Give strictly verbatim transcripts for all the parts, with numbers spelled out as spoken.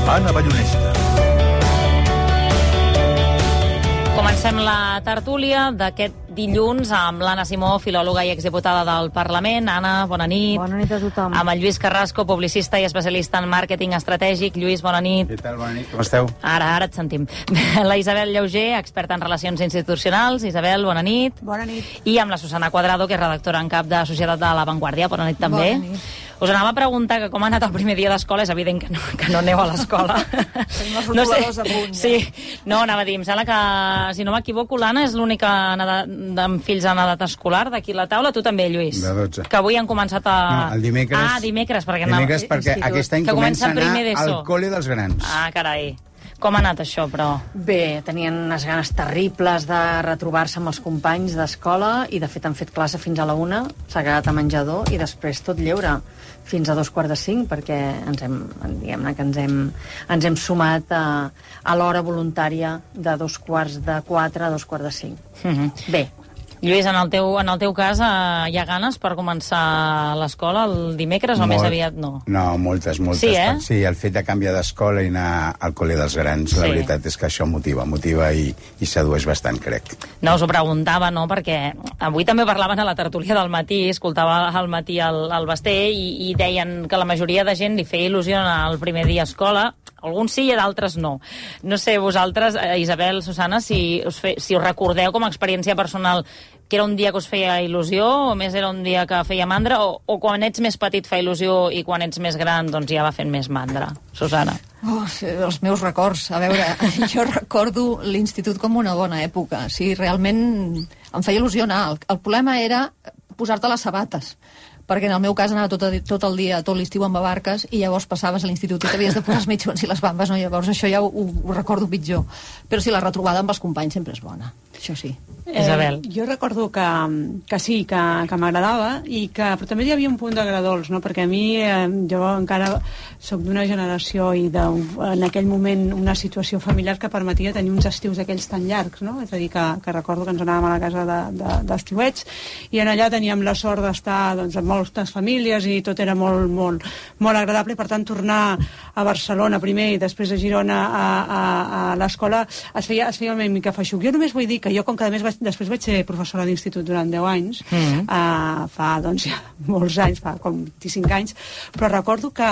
Anna Ballonesta. Comencem la tertúlia d'aquest dilluns amb l'Anna Simó, filòloga i exdiputada del Parlament. Anna, bona nit. Bona nit a tothom. Amb el Lluís Carrasco, publicista i especialista en màrqueting estratègic. Lluís, bona nit. Què tal? Bona nit, com esteu? Ara, ara et sentim. La Isabel Llauger, experta en relacions institucionals. Isabel, bona nit. Bona nit. I amb la Susana Cuadrado, que és redactora en cap de Societat de La Vanguardia. Bona nit també. Bona nit. Us anava a preguntar que com ha anat el primer dia d'escola. És evident que no, que no aneu a l'escola. Tenim els rotuladors a punt. Sí, no, anava a dir, em sembla que, si no m'equivoco, l'Anna és l'única amb fills en edat escolar d'aquí a la taula. Tu també, Lluís. De dotze. Que avui han començat a... No, el dimecres... Ah, dimecres, perquè... Dimecres anava... perquè aquest any comença a anar al col·le dels grans. Ah, carai. Com ha anat això, però? Bé, tenien unes ganes terribles de retrobar-se amb els companys d'escola i, de fet, han fet classe fins a la una, s'ha quedat a menjador i després tot lleure fins a dos quarts de cinc, perquè ens hem, diguem-ne que ens hem, ens hem sumat a, a l'hora voluntària de dos quarts de quatre a dos quarts de cinc. Mm-hmm. Bé. Lluís, en el teu, en el teu cas, eh, hi ha ganes per començar l'escola el dimecres o Molt, més aviat no? No, moltes, moltes. Sí, eh? Sí, el fet de canviar d'escola i anar al col·le dels grans, sí. La veritat és que això motiva, motiva i, i sedueix bastant, crec. No, us ho preguntava, no?, perquè avui també parlaven a la tertúlia del matí, escoltava al matí el, el Basté i, i deien que la majoria de gent li feia il·lusió el primer dia a escola. Alguns sí i d'altres no. No sé, vosaltres, Isabel, Susana, si us, fe, si us recordeu com a experiència personal que era un dia que us feia il·lusió o més era un dia que feia mandra o, o quan ets més petit fa il·lusió i quan ets més gran doncs ja va fent més mandra. Susana. Oh, els meus records. A veure, jo recordo l'institut com una bona època. Sí, realment em feia il·lusió anar. El, el problema era posar-te les sabates, perquè en el meu cas anava tot, a, tot el dia, tot l'estiu amb barques, i llavors passaves a l'institut i t'havies de posar els mitjons i les bambes, no? Llavors això ja ho, ho recordo pitjor. Però sí, la retrobada amb els companys sempre és bona, això sí. Eh, Isabel. Jo recordo que, que sí, que, que m'agradava, i que, però també hi havia un punt d'agradols, no? Perquè a mi, eh, jo encara soc d'una generació i de, en aquell moment una situació familiar que permetia tenir uns estius aquells tan llargs, no? És a dir, que, que recordo que ens anàvem a la casa d'estiuets de, de, i en allà teníem la sort d'estar doncs, amb moltes famílies i tot era molt, molt, molt agradable, i per tant tornar a Barcelona primer i després a Girona a, a, a l'escola es feia, es feia una mica feixuc. Jo només vull dir que jo, com que a més vaig, després vaig ser professora d'institut durant deu anys, mm-hmm. uh, fa doncs ja molts anys, fa com vint-i-cinc anys, però recordo que,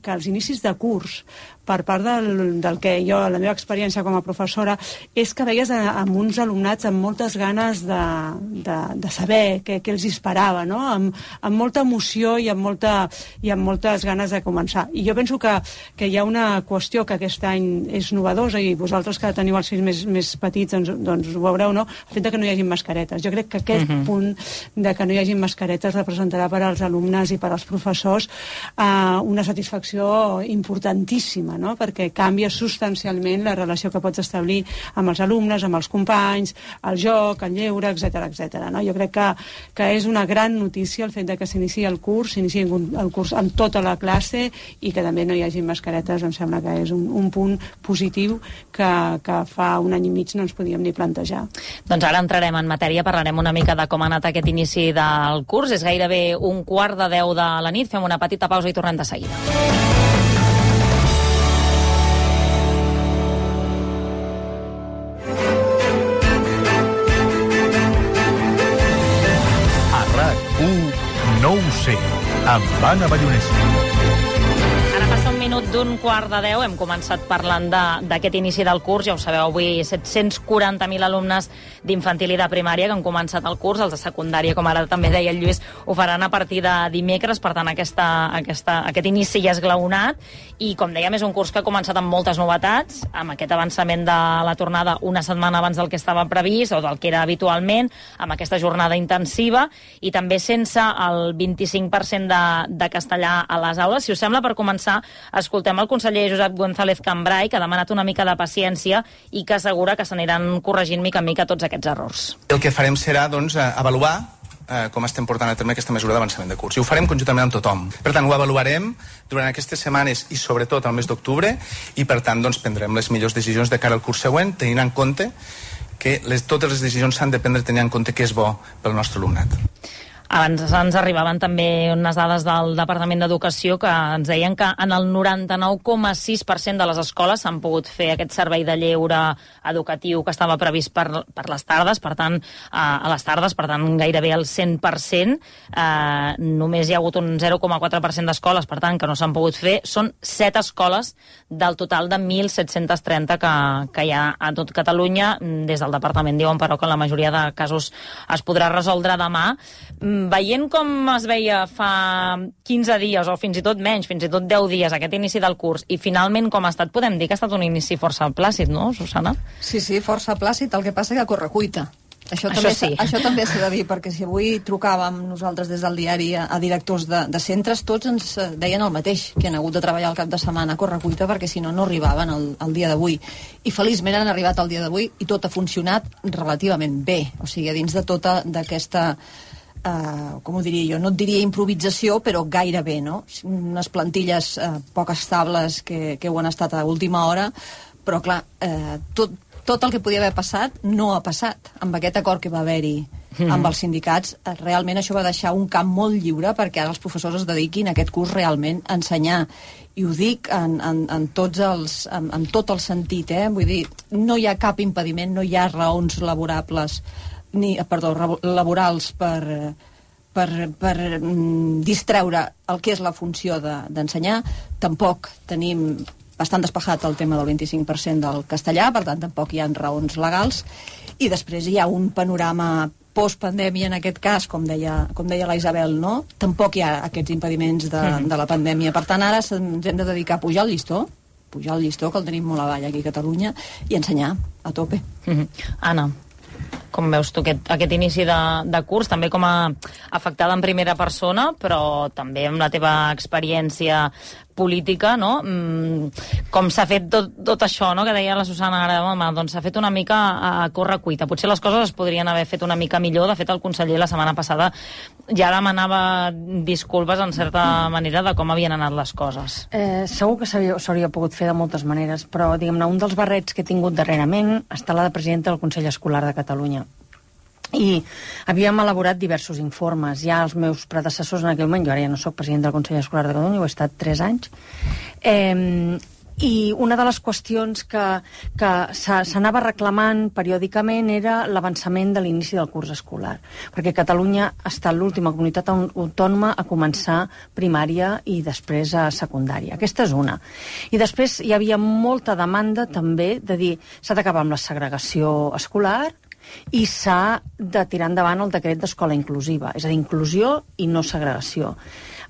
que als inicis de curs, per part del, del que jo, la meva experiència com a professora, és que veies a, amb uns alumnats amb moltes ganes de, de, de saber què, què els esperava, no? Amb, amb molta emoció i amb, molta, i amb moltes ganes de començar. I jo penso que, que hi ha una qüestió que aquest any és novedosa, i vosaltres que teniu els fills més, més petits doncs, doncs ho veureu, no? El fet de que no hi hagi mascaretes. Jo crec que aquest uh-huh. punt de que no hi hagi mascaretes representarà per als alumnes i per als professors eh, una satisfacció importantíssima, no? Perquè canvia substancialment la relació que pots establir amb els alumnes, amb els companys, el joc, el lleure, etcètera, etcètera, no? Jo crec que, que és una gran notícia el fet de que s'iniciï el curs, s'iniciï el curs amb tota la classe i que també no hi hagi mascaretes. Em sembla que és un, un punt positiu que, que fa un any i mig no ens podíem ni plantejar. Doncs ara entrarem en matèria, parlarem una mica de com ha anat aquest inici del curs. És gairebé un quart de deu de la nit. Fem una petita pausa i tornem de seguida. No ho sé, amb Anna Ballonesta. Ara passa un minut d'un quart de deu. Hem començat parlant d'aquest inici del curs. Ja ho sabeu, avui set-cents quaranta mil alumnes d'infantil i de primària que han començat el curs. Els de secundària, com ara també deia el Lluís, ho faran a partir de dimecres. Per tant, aquesta, aquesta, aquest inici ja és glaonat. I, com dèiem, és un curs que ha començat amb moltes novetats, amb aquest avançament de la tornada una setmana abans del que estava previst o del que era habitualment, amb aquesta jornada intensiva i també sense el vint-i-cinc per cent de, de castellà a les aules. Si us sembla, per començar, escoltem el conseller Josep González Cambray, que ha demanat una mica de paciència i que assegura que s'aniran corregint mica en mica tots aquests errors. El que farem serà, doncs, avaluar eh, com estem portant a terme aquesta mesura d'avançament de curs. I ho farem conjuntament amb tothom. Per tant, ho avaluarem durant aquestes setmanes i sobretot al mes d'octubre i, per tant, doncs, prendrem les millors decisions de cara al curs següent, tenint en compte que les, totes les decisions s'han de prendre tenint en compte què és bo pel nostre alumnat. Abans ens arribaven també unes dades del Departament d'Educació que ens deien que en el noranta-nou coma sis per cent de les escoles s'han pogut fer aquest servei de lleure educatiu que estava previst per, per les tardes, per tant, a les tardes, per tant, gairebé el cent per cent. Eh, només hi ha hagut un zero coma quatre per cent d'escoles, per tant, que no s'han pogut fer. Són set escoles del total de mil set-cents trenta que, que hi ha a tot Catalunya. Des del departament diuen, però, que en la majoria de casos es podrà resoldre demà. Veient com es veia fa quinze dies, o fins i tot menys, fins i tot deu dies, aquest inici del curs, i finalment com ha estat, podem dir que ha estat un inici força plàcid, no, Susana? Sí, sí, força plàcid, el que passa que a correcuita. Això, això també, sí. Això també s'ha de dir, perquè si avui trucàvem nosaltres des del diari a, a directors de, de centres, tots ens deien el mateix, que han hagut de treballar el cap de setmana a correcuita, perquè si no, no arribaven el, el dia d'avui. I feliçment han arribat el dia d'avui i tot ha funcionat relativament bé. O sigui, dins de tota d'aquesta... Uh, com ho diria jo, no et diria improvisació, però gairebé, no? Unes plantilles uh, poc estables que, que ho han estat a última hora, però clar, uh, tot, tot el que podia haver passat no ha passat. Amb aquest acord que va haver-hi mm. amb els sindicats, uh, realment això va deixar un camp molt lliure perquè ara els professors es dediquin a aquest curs realment a ensenyar. I ho dic en, en, en, tots els, en, en tot el sentit, eh? Vull dir, no hi ha cap impediment, no hi ha raons laborables ni, perdó, laborals per, per, per mm, distreure el que és la funció d'ensenyar. De, tampoc tenim bastant despejat el tema del vint-i-cinc per cent del castellà, per tant tampoc hi ha raons legals, i després hi ha un panorama post-pandèmia en aquest cas, com deia, com deia la Isabel, no? Tampoc hi ha aquests impediments de, mm-hmm. de la pandèmia. Per tant, ara ens hem de dedicar a pujar el llistó, pujar el llistó, que el tenim molt avall aquí a Catalunya, i ensenyar a tope. Mm-hmm. Anna, com veus tu aquest, aquest inici de, de curs, també com a afectada en primera persona, però també amb la teva experiència política, no? Com s'ha fet tot, tot això, no? Que deia la Susana ara, home, doncs s'ha fet una mica a corre-cuita. Potser les coses es podrien haver fet una mica millor. De fet, el conseller la setmana passada ja demanava disculpes en certa manera de com havien anat les coses. Eh, segur que s'hauria pogut fer de moltes maneres, però, diguem-ne, un dels barrets que he tingut darrerament està la de presidenta del Consell Escolar de Catalunya. I havíem elaborat diversos informes. Ja els meus predecessors en aquell moment, jo ara ja no soc president del Consell Escolar de Catalunya, ho he estat tres anys, eh, i una de les qüestions que, que s'anava reclamant periòdicament era l'avançament de l'inici del curs escolar, perquè Catalunya ha estat l'última comunitat autònoma a començar primària i després a secundària. Aquesta és una. I després hi havia molta demanda també de dir s'ha d'acabar amb la segregació escolar i s'ha de tirar endavant el decret d'escola inclusiva, és a dir, inclusió i no segregació.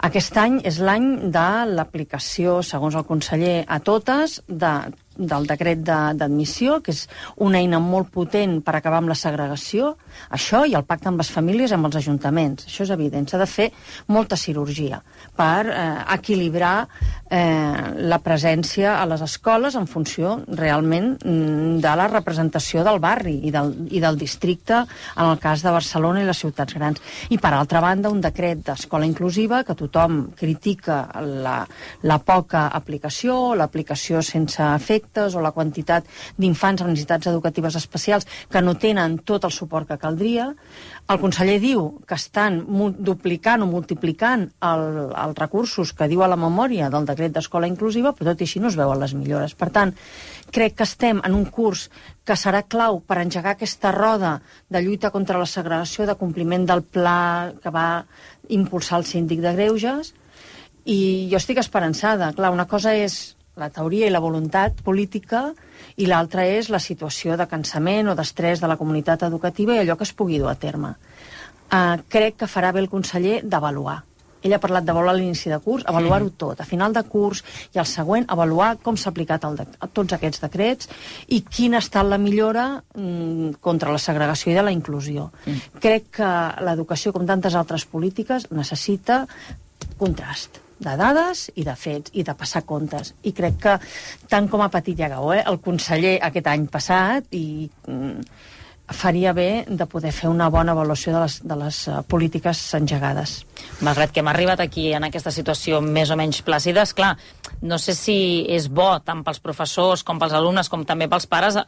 Aquest any és l'any de l'aplicació, segons el conseller, a totes, de, del decret d'admissió, que és una eina molt potent per acabar amb la segregació, això i el pacte amb les famílies i amb els ajuntaments. Això és evident, s'ha de fer molta cirurgia per eh, equilibrar eh, la presència a les escoles en funció realment de la representació del barri i del, i del districte, en el cas de Barcelona i les ciutats grans. I per altra banda, un decret d'escola inclusiva que tothom critica la, la poca aplicació, l'aplicació sense efectes o la quantitat d'infants amb necessitats educatives especials que no tenen tot el suport que caldria. El conseller diu que estan duplicant o multiplicant el, els recursos que diu a la memòria del decret d'escola inclusiva, però tot i així no es veuen les millores. Per tant, crec que estem en un curs que serà clau per engegar aquesta roda de lluita contra la segregació, de compliment del pla que va impulsar el síndic de Greuges, i jo estic esperançada. Clar, una cosa és la teoria i la voluntat política i l'altra és la situació de cansament o d'estrès de la comunitat educativa i allò que es pugui dur a terme. Uh, crec que farà bé el conseller d'avaluar. Ell ha parlat d'avaluar l'inici de curs, avaluar-ho tot. A final de curs i al següent, avaluar com s'ha aplicat el de, tots aquests decrets i quina ha estat la millora mm, contra la segregació i de la inclusió. Mm. Crec que l'educació, com tantes altres polítiques, necessita contrast de dades i de fets i de passar comptes. I crec que, tant com ha patit Llagao, eh, el conseller aquest any passat i mm, faria bé de poder fer una bona avaluació de les, de les uh, polítiques engegades. Malgrat que hem arribat aquí en aquesta situació més o menys plàcida, esclar, no sé si és bo tant pels professors com pels alumnes com també pels pares eh,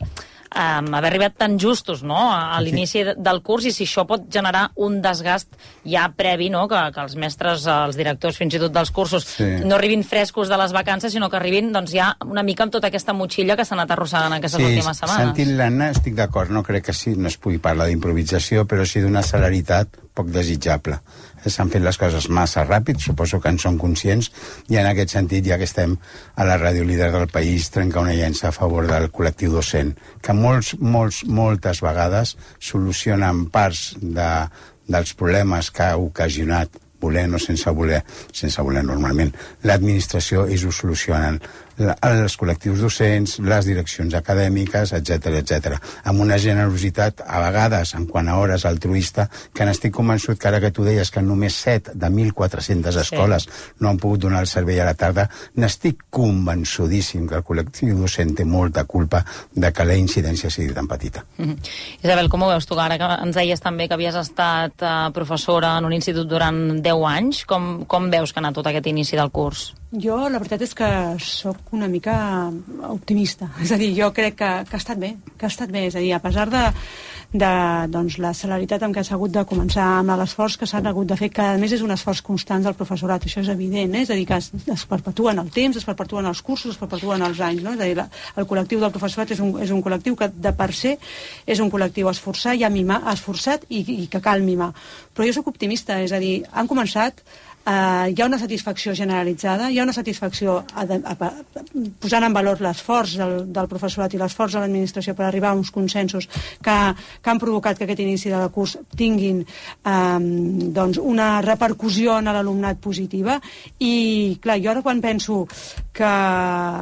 haver arribat tan justos, no?, a, a l'inici sí. del curs, i si això pot generar un desgast ja previ, no?, que, que els mestres, els directors fins i tot dels cursos sí. no arribin frescos de les vacances, sinó que arribin doncs, ja una mica amb tota aquesta motxilla que s'ha anat arrossegant aquestes sí, últimes setmanes. Sentint l'Anna estic d'acord, no crec que sí, no es pugui parlar d'improvisació, però sí d'una celeritat poc desitjable. S'han fet les coses massa ràpid, suposo que en són conscients, i en aquest sentit, ja que estem a la ràdio líder del país, trencar una llança a favor del col·lectiu docent, que molts, molts, moltes vegades solucionen parts de, dels problemes que ha ocasionat, volent o sense voler, sense voler normalment, l'administració, ells ho solucionen. Els col·lectius docents, les direccions acadèmiques, etcètera, etcètera, amb una generositat, a vegades, en quant a hores altruista, que n'estic convençut que ara que tu deies que només set de mil quatre-centes escoles sí. no han pogut donar el servei a la tarda, n'estic convençudíssim que el col·lectiu docent té molta culpa de que la incidència sigui tan petita. Mm-hmm. Isabel, com ho veus tu, ara que ens deies també que havies estat eh, professora en un institut durant deu anys, com, com veus que ha anat tot aquest inici del curs? Jo, la veritat és que sóc una mica optimista. És a dir, jo crec que, que ha estat bé, que ha estat bé. És a dir, a pesar de, de doncs, la celeritat amb què s'ha hagut de començar, amb l'esforç que s'han hagut de fer, que a més és un esforç constant del professorat, això és evident, eh? És a dir, que es, es perpetuen el temps, es perpetuen els cursos, es perpetuen els anys, no? És a dir, la, el col·lectiu del professorat és un, és un col·lectiu que de per se és un col·lectiu esforçat i a mimar, esforçat i, i que cal mimar. Però jo sóc optimista, és a dir, han començat Uh, hi ha una satisfacció generalitzada, hi ha una satisfacció a de, a, a, posant en valor l'esforç del, del professorat i l'esforç de l'administració per arribar a uns consensos que, que han provocat que aquest inici de curs tinguin um, doncs una repercussió en l'alumnat positiva. I clar, jo ara quan penso que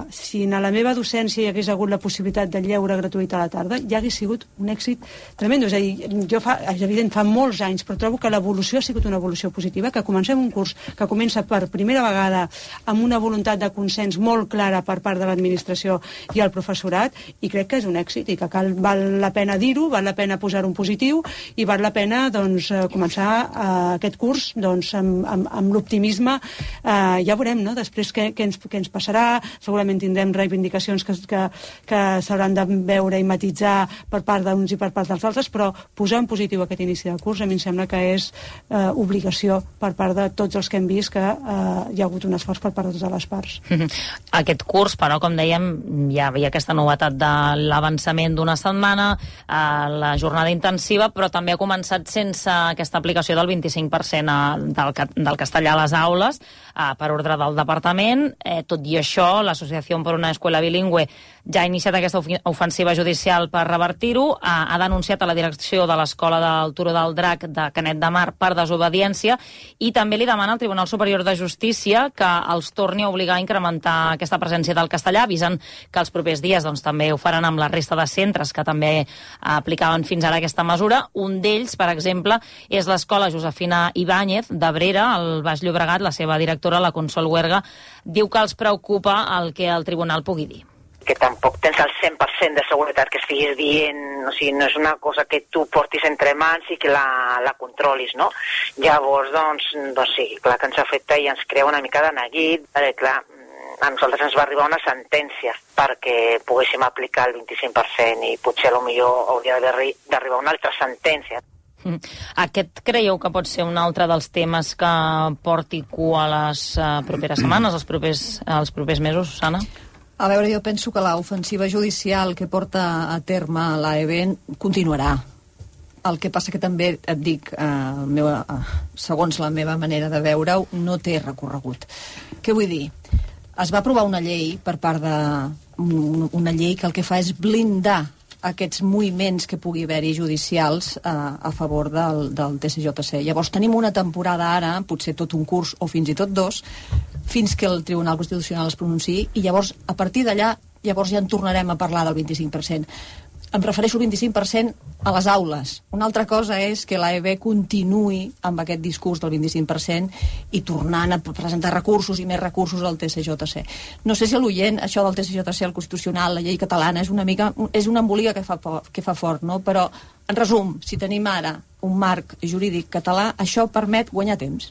si en la meva docència hi hagués hagut la possibilitat de lleure gratuït a la tarda, ja hagués sigut un èxit tremendo. És a dir, jo fa, és evident, fa molts anys, però trobo que l'evolució ha sigut una evolució positiva, que comencem un curs que comença per primera vegada amb una voluntat de consens molt clara per part de l'administració i el professorat, i crec que és un èxit i que cal, val la pena dir-ho, val la pena posar un positiu i val la pena doncs, començar uh, aquest curs doncs, amb, amb, amb l'optimisme. Uh, ja veurem, no?, després què, què, ens, què ens passarà. Segurament tindrem reivindicacions que, que, que s'hauran de veure i matitzar per part d'uns i per part dels altres, però posar en positiu aquest inici del curs a mi em sembla que és uh, obligació per part de tots els que hem vist que eh, hi ha hagut un esforç per part de totes les parts. Aquest curs, però, com dèiem, ja hi ha aquesta novetat de l'avançament d'una setmana, eh, la jornada intensiva, però també ha començat sense aquesta aplicació del vint-i-cinc per cent del, del castellà a les aules, eh, per ordre del departament. Eh, tot i això, l'Associació per una Escuela Bilingüe ja ha iniciat aquesta ofensiva judicial per revertir-ho, ha, ha denunciat a la direcció de l'Escola del Turó del Drac de Canet de Mar per desobediència, i també li demana al Tribunal Superior de Justícia que els torni a obligar a incrementar aquesta presència del castellà, avisant que els propers dies doncs, també ho faran amb la resta de centres que també aplicaven fins ara aquesta mesura. Un d'ells, per exemple, és l'Escola Josefina Ibáñez d'Abrera, al Baix Llobregat. La seva directora, la Consol Huerga, diu que els preocupa el que el tribunal pugui dir. Que tampoc tens el cent per cent de seguretat que estiguis dient, o sigui, no és una cosa que tu portis entre mans i que la, la controlis, no? Llavors, doncs, doncs sí, clar que ens afecta i ens crea una mica de neguit, perquè clar, a nosaltres ens va arribar una sentència perquè poguéssim aplicar el vint-i-cinc per cent i potser potser hauria d'arribar una altra sentència. Aquest creieu que pot ser un altre dels temes que porti cua les uh, properes setmanes, els propers, els propers mesos, Susana? A veure, jo penso que l'ofensiva judicial que porta a terme l'A E B continuarà. El que passa que també, et dic, eh, meu, eh, segons la meva manera de veure-ho, no té recorregut. Què vull dir? Es va aprovar una llei per part de... una llei que el que fa és blindar aquests moviments que pugui haver-hi judicials eh, a favor del, del T C J C. Llavors tenim una temporada ara, potser tot un curs o fins i tot dos, fins que el Tribunal Constitucional es pronunciï, i llavors, a partir d'allà, llavors ja en tornarem a parlar del vint-i-cinc per cent. em refereixo al vint-i-cinc per cent a les aules. Una altra cosa és que l'A E B continuï amb aquest discurs del vint-i-cinc per cent i tornant a presentar recursos i més recursos al T C J C. No sé si a l'oient, això del T C J C, el Constitucional, la llei catalana, és una mica, és una embolica que fa, que fa fort, no? Però, en resum, si tenim ara un marc jurídic català, això permet guanyar temps.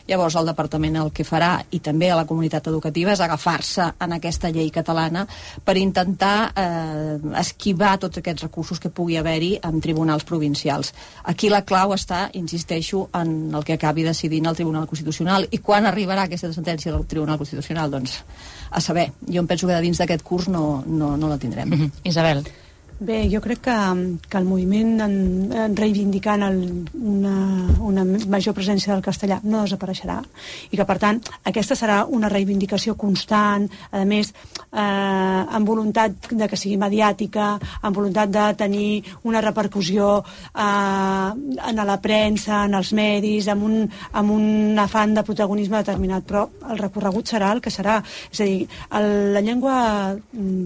Llavors el departament el que farà, i també a la comunitat educativa, és agafar-se en aquesta llei catalana per intentar eh, esquivar tots aquests recursos que pugui haver-hi en tribunals provincials. Aquí la clau està, insisteixo, en el que acabi decidint el Tribunal Constitucional. I quan arribarà aquesta sentència del Tribunal Constitucional? Doncs a saber. Jo em penso que de dins d'aquest curs no, no, no la tindrem. Mm-hmm. Isabel. Bé, jo crec que, que el moviment en, en reivindicant el, una, una major presència del castellà no desapareixerà i que, per tant, aquesta serà una reivindicació constant, a més, eh, amb voluntat de que sigui mediàtica, amb voluntat de tenir una repercussió eh, en la premsa, en els medis, amb un, amb un afany de protagonisme determinat, però el recorregut serà el que serà. És a dir, el, la llengua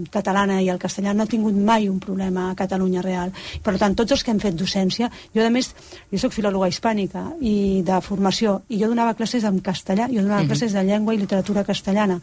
catalana i el castellà no ha tingut mai un problema a Catalunya real. Per tant, tots els que hem fet docència, jo a més, jo soc filòloga hispànica i de formació, i jo donava classes en castellà, jo donava uh-huh. classes de llengua i literatura castellana.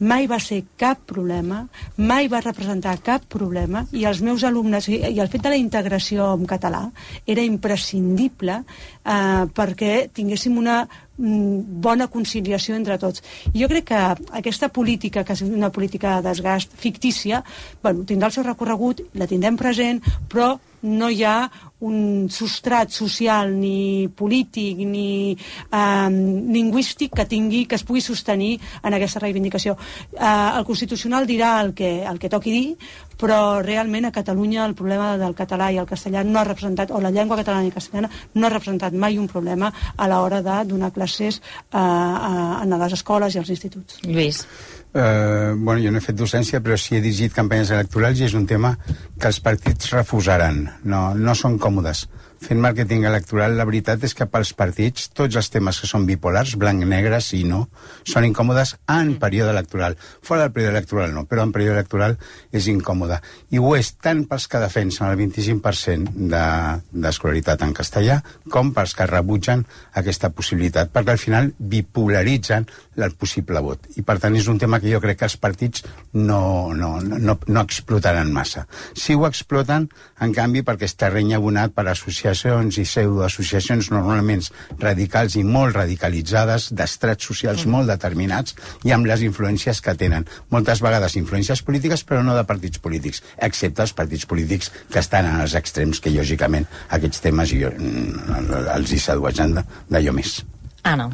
Mai va ser cap problema, mai va representar cap problema, i els meus alumnes, i, i el fet de la integració en català era imprescindible eh, perquè tinguéssim una bona conciliació entre tots. Jo crec que aquesta política, que és una política de desgast fictícia, bueno, tindrà el seu recorregut, la tindrem present, però no hi ha un substrat social ni polític ni eh, lingüístic que tingui, que es pugui sostenir en aquesta reivindicació. Eh, el Constitucional dirà el que, el que toqui dir, però realment a Catalunya el problema del català i el castellà no ha representat, o la llengua catalana i castellana no ha representat mai un problema a l'hora de donar classes eh, a, a les escoles i als instituts. Lluís. Uh, bueno, jo no he fet docència, però sí he dirigit campanyes electorals i és un tema que els partits refusaran. No, no són còmodes. Fent màrqueting electoral, la veritat és que pels partits tots els temes que són bipolars, blanc, negre, sí, no, són incòmodes en període electoral. Fora del període electoral no, però en període electoral és incòmode. I ho és tant pels que defensen el vint-i-cinc per cent d'escolaritat en castellà com pels que rebutgen aquesta possibilitat, perquè al final bipolaritzen el possible vot. I per tant és un tema que jo crec que els partits no, no, no, no explotaran massa. Sí ho exploten, en canvi, perquè és terreny abonat per associar i pseudoassociacions normalment radicals i molt radicalitzades, d'estrats socials mm. molt determinats i amb les influències que tenen. Moltes vegades influències polítiques, però no de partits polítics, excepte els partits polítics que estan en els extrems, que lògicament aquests temes jo, els hi sedueixen d'allò més. Anna.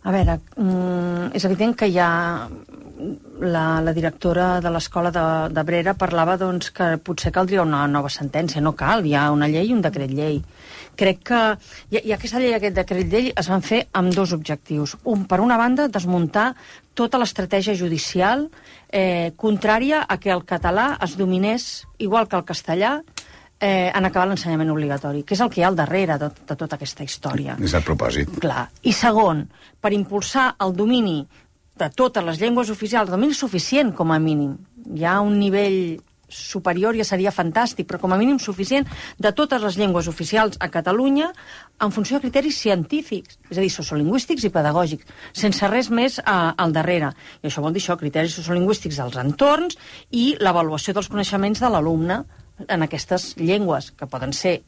A veure, és evident que hi ha... La, la directora de l'escola de, de Brera parlava doncs, que potser caldria una nova sentència. No cal, hi ha una llei i un decret llei. Crec que i, i aquesta llei i aquest decret llei es van fer amb dos objectius. Un, per una banda, desmuntar tota l'estratègia judicial eh, contrària a que el català es dominés igual que el castellà eh, en acabar l'ensenyament obligatori, que és el que hi ha al darrere de, de tota aquesta història. És el propòsit. Clar. I segon, per impulsar el domini de totes les llengües oficials, el domini suficient com a mínim. Hi ha un nivell superior, ja seria fantàstic, però com a mínim suficient de totes les llengües oficials a Catalunya en funció de criteris científics, és a dir, sociolingüístics i pedagògics, sense res més a, al darrere. I això vol dir això, criteris sociolingüístics dels entorns i l'avaluació dels coneixements de l'alumne en aquestes llengües, que poden ser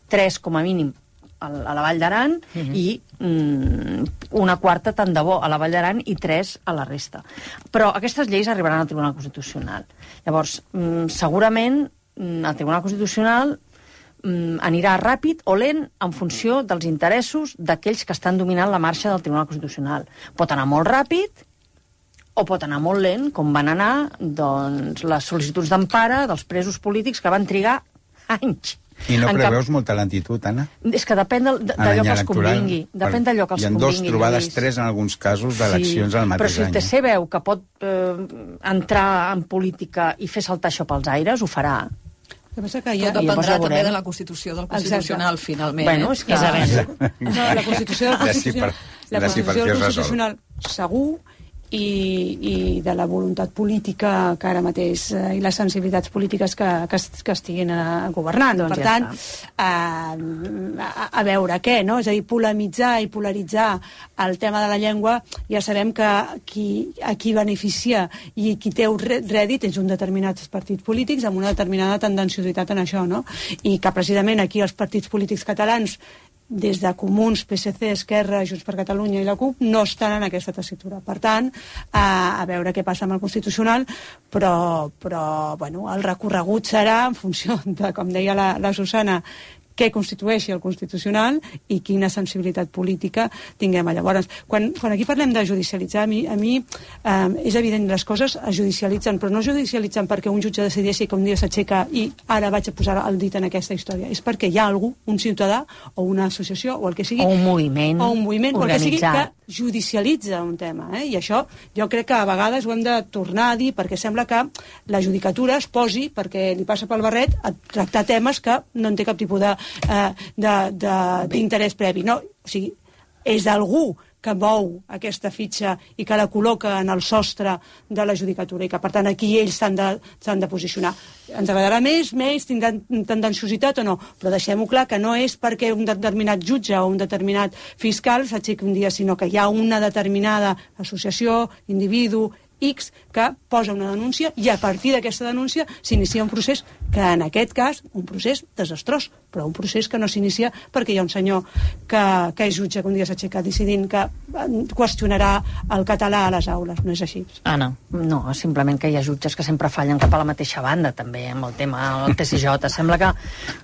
tres com a mínim a la Vall d'Aran uh-huh. i mm, una quarta tant de bo a la Vall d'Aran i tres a la resta. Però aquestes lleis arribaran al Tribunal Constitucional. Llavors, mm, segurament mm, el Tribunal Constitucional mm, anirà ràpid o lent en funció dels interessos d'aquells que estan dominant la marxa del Tribunal Constitucional. Pot anar molt ràpid o pot anar molt lent, com van anar doncs, les sol·licituds d'empara dels presos polítics que van trigar anys. I no preveus cap... molta lentitud, Anna? És que depèn d'allò que els convingui. Depèn d'allò que els convingui. Hi ha dos trobades, Lluís. Tres en alguns casos d'eleccions sí, al mateix any. Però si el T C veu que pot eh, entrar en política i fer saltar això pels aires, ho farà. El que passa que ja dependrà també de la Constitució del Constitucional, Exacte. Finalment. Bueno, és que... No, la Constitució del Constitucional, la Constitució del Constitucional segur, i, i de la voluntat política que ara mateix eh, i les sensibilitats polítiques que, que, que estiguin eh, governant. Doncs per ja tant, eh, a, a veure què, no? És a dir, polemitzar i polaritzar el tema de la llengua, ja sabem que qui, a qui beneficia i qui té un rèdit és un determinats partits polítics amb una determinada tendenciositat en això, no? I que precisament aquí els partits polítics catalans, des de Comuns, P S C, Esquerra, Junts per Catalunya i la CUP, no estan en aquesta tessitura. Per tant, a, a veure què passa amb el Constitucional, però, però bueno, el recorregut serà en funció de, com deia la, la Susana, què constitueixi el Constitucional i quina sensibilitat política tinguem. Llavors, quan, quan aquí parlem de judicialitzar, a mi, a mi eh, és evident, les coses es judicialitzen, però no es judicialitzen perquè un jutge decideixi que un dia s'aixeca i ara vaig a posar el dit en aquesta història. És perquè hi ha algú, un ciutadà o una associació o el que sigui, o un moviment, o un moviment o el que sigui, que organitzat, judicialitza un tema. Eh? I això jo crec que a vegades ho hem de tornar a dir perquè sembla que la judicatura es posi, perquè li passa pel barret, a tractar temes que no en té cap tipus de d'interès previ. No, o sigui, és algú que mou aquesta fitxa i que la col·loca en el sostre de la judicatura i que, per tant, aquí ells s'han de, s'han de posicionar. Ens agradarà més, més, tindran tendenciositat o no, però deixem-ho clar que no és perquè un determinat jutge o un determinat fiscal s'aixequi un dia, sinó que hi ha una determinada associació, individu, X, que posa una denúncia i a partir d'aquesta denúncia s'inicia un procés que en aquest cas, un procés desastrós, però un procés que no s'inicia perquè hi ha un senyor que, que és jutge que un dia s'aixeca decidint que qüestionarà el català a les aules. No és així. Anna. No, simplement que hi ha jutges que sempre fallen cap a la mateixa banda, també, amb el tema del T C J. Sembla que,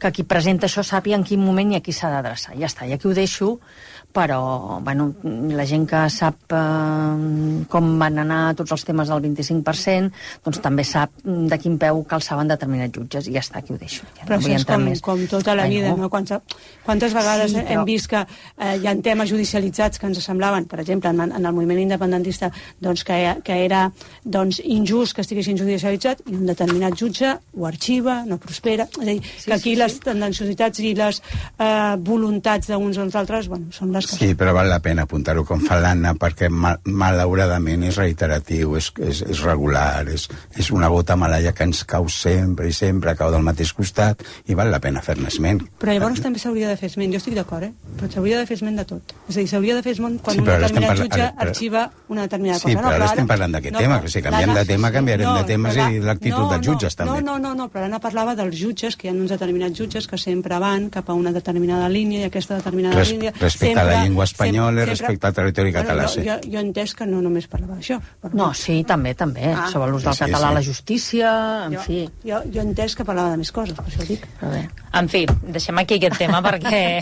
que qui presenta això sàpiga en quin moment i a qui s'ha d'adreçar. Ja està, i aquí ho deixo, però bueno, la gent que sap eh, com van anar tots els temes del vint-i-cinc per cent, doncs també sap de quin peu calçaven determinats jutges, i ja està, aquí ho deixo. Ja però no això és com, més. com tota la Ai, vida, no? no? Quantes, quantes vegades Sí, sí, però... hem vist que eh, hi ha temes judicialitzats que ens semblaven, per exemple, en, en el moviment independentista, doncs, que, que era doncs, injust que estiguessin judicialitzats i un determinat jutge ho arxiva, no prospera. És a dir, sí, que aquí sí, les sí. tendenciositats i les eh, voluntats d'uns o dels altres, bueno, són les que... Sí, però val la pena apuntar-ho com fa l'Anna, perquè mal, malauradament és reiteratiu, és, és, és regular, és, és una gota malaia que ens cau sempre i sempre, cau del mateix costat, i val la pena fer-ne esment. Però llavors també s'hauria de fer esment, jo estic d'acord, eh? Però s'hauria de fer esment de tot. És a dir, s'hauria de fer esment quan sí, un determinat parla... jutge ara, però... arxiva una determinada sí, cosa. Sí, però no, ara però estem parlant d'aquest no, tema, que si canviem de tema canviarem no, de temes la... i l'actitud no, dels jutges no, també. No, no, no, no, però l'Anna parlava dels jutges, que hi ha uns determinats jutges que sempre van cap a una determinada línia i aquesta determinada Res, línia... Respecte sempre, a la llengua espanyola, sempre, respecte al territori català, bueno, jo, sí. Jo, jo he entès que no només parlava d'això. No, sí, també, també, ah, sobre l'ús del sí, català sí. a la justícia, en jo, fi. Jo, jo he entès que parlava de més coses, per això ho dic. Però bé. En fi, deixem aquí aquest tema perquè